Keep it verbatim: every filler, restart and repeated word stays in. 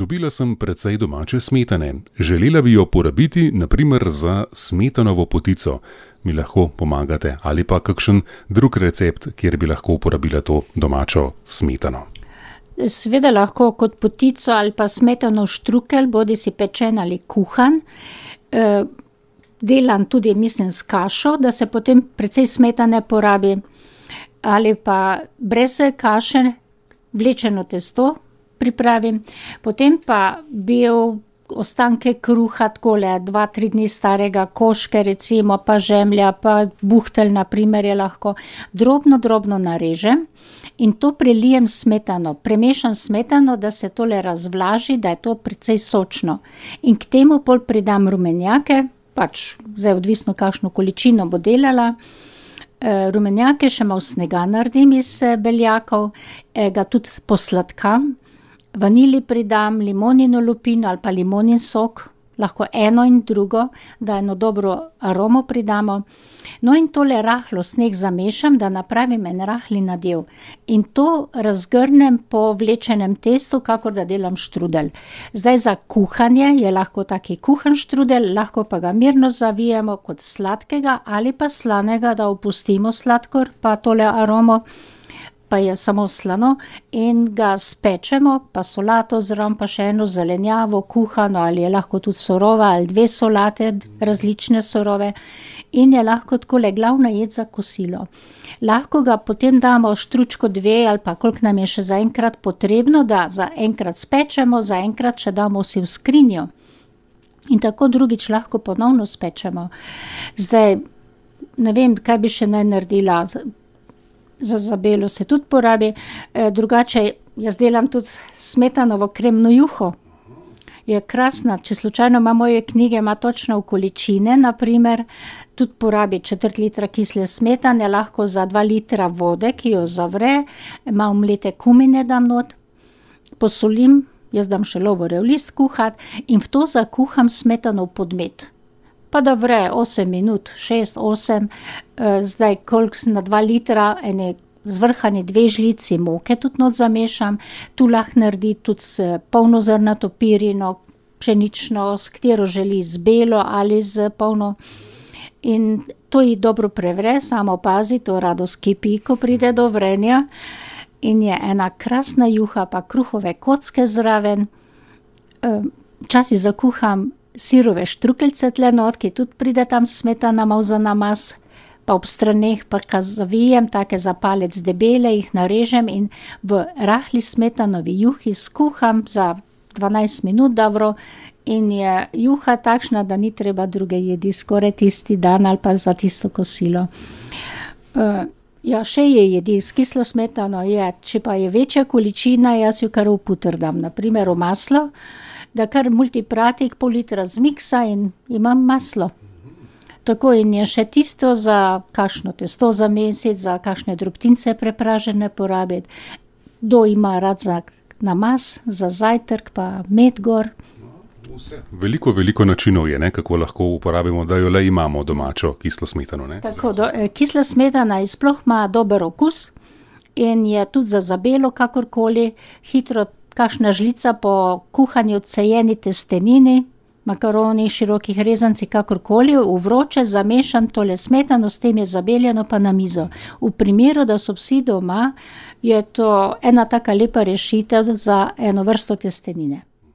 Dobila sem precej domače smetane. Želela bi jo porabiti, na primer za smetanovo potico. Mi lahko pomagate? Ali pa kakšen drug recept, kjer bi lahko uporabila to domačo smetano? Seveda lahko kot potico ali pa smetanov štrukelj, bodi si pečen ali kuhan. E, delam tudi, mislim, s kašo, da se potem precej smetane porabi. Ali pa brez kaše vlečeno testo pripravim. Potem pa bil ostanke kruha, takole dva, tri dni starega, koške recimo, pa žemlja, pa buhtelj na primer je lahko. Drobno, drobno narežem in to prelijem smetano. Premešam smetano, da se tole razvlaži, da je to precej sočno. In k temu pol pridam rumenjake, pač zdaj odvisno kakšno količino bo delala. E, rumenjake še malo snega naredim iz beljakov, e, ga tudi posladkam. Vanili pridam, limonino lupino ali pa limonin sok, lahko eno in drugo, da eno dobro aromo pridamo. No in tole rahlo sneg zamešam, da napravim en rahli nadev. In to razgrnem po vlečenem testu, kakor da delam štrudelj. Zdaj za kuhanje je lahko taki kuhan štrudelj, lahko pa ga mirno zavijemo kot sladkega ali pa slanega, da opustimo sladkor pa tole aromo. Pa je samo slano in ga spečemo, pa solato zraven, pa še eno zelenjavo, kuhano ali je lahko tudi surova ali dve solate, različne surove in je lahko takole glavna jed za kosilo. Lahko ga potem damo štručko dve ali pa koliko nam je še zaenkrat potrebno, da zaenkrat spečemo, zaenkrat še damo vsi v skrinjo in tako drugič lahko ponovno spečemo. Zdaj, ne vem, kaj bi še naj naredila. Za zabelo se tudi porabi, e, drugače jaz delam tudi smetanovo kremno juho. Je krasna, če slučajno ima moje knjige, ima točno v količine, na primer, tudi porabi četrt litra kisle smetane, lahko za dva litra vode, ki jo zavre, malo mlete kumine dam not, posolim, jaz dam še lovorjev list kuhat in v to zakuham smetanov podmet. Pa da vre osem minut, šest, osem, zdaj koliko na dva litra, ene zvrhane dve žlici moke tudi not zamešam, tu lahko naredi tudi s polnozrnato pirino, pšenično, s katero želi, z belo ali z polno. In to ji dobro prevre, samo pazi, to rado skipi, ko pride do vrenja. In je ena krasna juha, pa kruhove kocke zraven. Včasih zakuham sirove štrukeljce tle not, ki tudi pride tam smetana malo za namaz, pa ob straneh pa ka zavijem, take za palec debele, jih narežem in v rahli smetanovi juhi skuham za dvanajst minut dobro in je juha takšna, da ni treba druge jedi, skoraj tisti dan ali pa za tisto kosilo. Uh, ja, še je jedi s kislo smetano, je, če pa je večja količina, jaz jo kar v puter dam, na primer v maslo, da kar multipratik pol litra zmiksa in imam maslo. Tako in je še tisto za kakšno testo za mesec, za kakšne drobtince prepražene porabiti. Kdo ima rad za namaz, za zajtrk, pa med gor. Vse. Veliko, veliko načinov je, ne, kako lahko uporabimo, da jo le imamo domačo kislo smetano. Ne? Tako, do, kisla smetana sploh ima dober okus in je tudi za zabelo kakorkoli hitro. Kakšna žlica po kuhanju cejeni testenini, makaroni, širokih rezanci, kakorkoli, v vroče zamešam tole smetano, s tem je zabeljeno pa na mizo. V primeru, da so vsi doma, je to ena taka lepa rešitev za eno vrsto testenine.